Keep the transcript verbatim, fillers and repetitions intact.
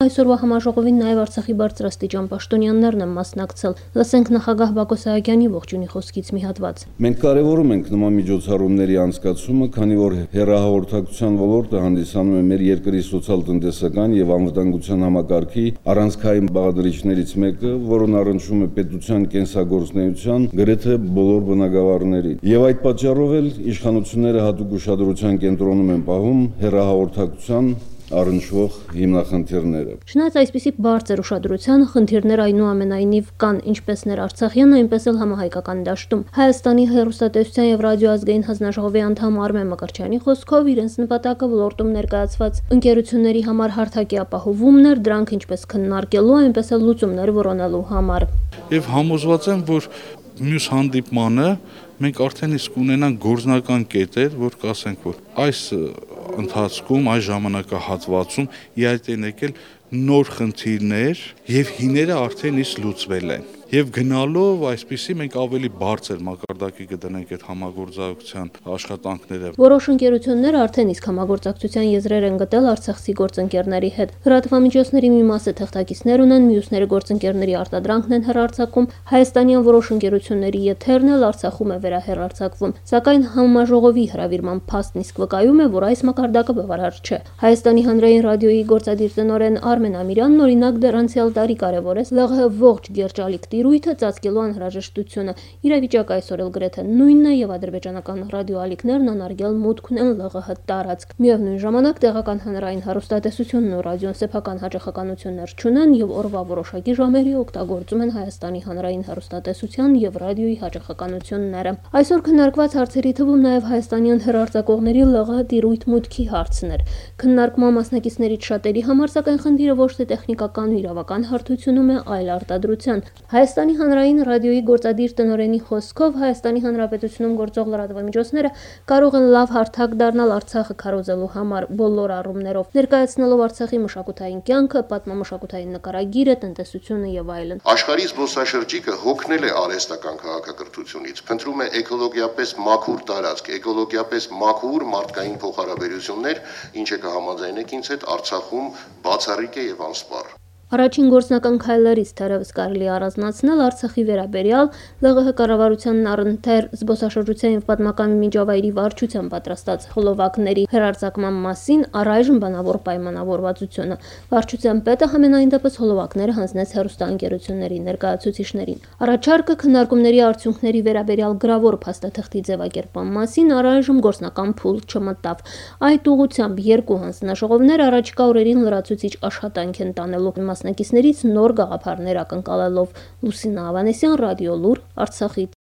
այսօրվա համաժողովին նաև Արցախի բարձրաստիճան պաշտոնյաներն են մասնակցել։ Լսենք նախագահ Բակո Սահակյանի ողջունի խոսքից մի հատված։ Մենք կարևորում ենք նման միջոցառումների անցկացումը, քանի որ հեռահաղորդակցության ոլորտը հանդիսանում է մեր երկրի սոցիալ-տնտեսական եւ անվտանգության համակարգի առանցքային բաղադրիչներից մեկը, որն առնչվում է պետության կենսագործունեության գրեթե բոլոր բնագավառներին։ Եվ այդ պատճառով էլ իշխանությունները հատուկ ուշադրության կենտրոնում են պահում հեռահաղորդակցության առնչվող հիմնախնդիրները։ Չնայած այսպիսի բարձր ուշադրության, խնդիրներ այնուամենայնիվ կան ինչպես ներարցախյան, այնպես էլ համահայկական դաշտում։ Հայաստանի հեռուստատեսության եւ ռադիոազգային հանձնաժողովի անդամ Արմեն Մկրտչյանի խոսքով իրենց նպատակը ոլորտում ներկայացված ընկերությունների համար հարթակի ապահովումն էր, դրանք ինչպես քննարկելու, այնպես էլ լուծումներ որոնելու համար։ Եվ համոզված եմ, որ մյուս հանդիպմանը մենք արդեն իսկ ունենանք գործնական կետեր, որ կասենք, որ այս ընթացքում, այս ժամանակահատվածում իհարկե են եկել նոր խնդիրներ եւ հիները արդեն իսկ լուծվել են։ Եվ գնալով այսպիսի մենք ավելի բարձր մակարդակի կդնենք այդ համագործակցության աշխատանքները։ Որոշ ընկերություններ արդեն իսկ համագործակցության եզրեր են գտել արցախցի գործընկերների հետ։ Լրատվամիջոցների մի մասը թղթակիցներ ունեն, մյուսները գործընկերների արտադրանքն են հեռարձակում։ Հայաստանյան որոշ ընկերությունների եթերն էլ Արցախում է վերահեռարձակվում։ Սակայն համաժողովի հրավիրման փաստն իսկ վկայում է, որ այս մակարդակը բավարար չէ։ Հայաստանի հանրային ռադիոյի գործադիր տնօրեն Արմեն Ամիրյանն օրինակ դեռ անցյալ տարի կարևորեց ԼՂՀ ողջ գերջալիք տիրույթը ծածկելու անհրաժեշտությունը։ Իրավիճակը այսօր էլ գրեթե նույնն է եւ ադրբեջանական ռադիոալիքներն անարգել մուտք ունեն ԼՂՀ տարածք։ Միևնույն ժամանակ տեղական հանրային հեռուստատեսությունն ու ռադիոն սեփական հաջողականություններ չունեն եւ օրվա որոշակի ժամերի օգտագործում են Հայաստանի հանրային հեռուստատեսության եւ ռադիոյի հաջողականությունները։ Այսօր քննարկված հարցերի թվում նաեւ հայաստանյան հեռարձակողների ԼՂՀ տիրույթ մուտքի հարցն էր։ Քննարկման մասնակիցներից շատերի համար սակայն խնդիրը ոչ թե տեխնիկական ու իրավական հարթությունում է, այլ արտադրության։ Հայաստանի հանրային ռադիոյի գործադիր տնօրենի խոսքով Հայաստանի Հանրապետությունում գործող լրատվամիջոցները կարող են լավ հարթակ դառնալ Արցախը քարոզելու համար բոլոր առումներով, ներկայացնելով Արցախի մշակութային կյանքը, պատմամշակութային նկարագիրը, տնտեսությունը եւ այլն։ Աշխարհի զբոսաշրջիկը հոգնել է արհեստական քաղաքակրթությունից, փնտրում է էկոլոգիապես մաքուր տարածք, էկոլոգիապես մաքուր մարդկային փոխհարաբերություններ, ինչը կհամաձայնեք ինձ հետ Արցախում բացառիկ է եւ անսպառ։ Առաջին գործնական քայլերից թերևս կարելի առանձնացնել Արցախի վերաբերյալ ԼՂՀ կառավարությանն առընթեր զբոսաշրջության եւ պատմական միջավայրի վարչության պատրաստած խոլովակների հերարցակման մասին առայժմ բանավոր պայմանավորվածությունը։ Վարչության պետը համենայն դեպս խոլովակները հանձնեց հեռուստաընկերությունների ներկայացուցիչներին։ Առաջարկը քննարկումների արդյունքների վերաբերյալ գրավոր փաստաթղթի ձևակերպման մասին առայժմ գործնական փուլ չմտավ։ Այդ ուղղությամբ երկու հանձնաժողովներ առաջիկա օրերին լրացուցիչ աշխատանք են տանելու մասնակիցներից նոր գաղափարներ ակնկալելով։ Լուսինա Ավանեսյան, Ռադիո Լուր, Արցախից։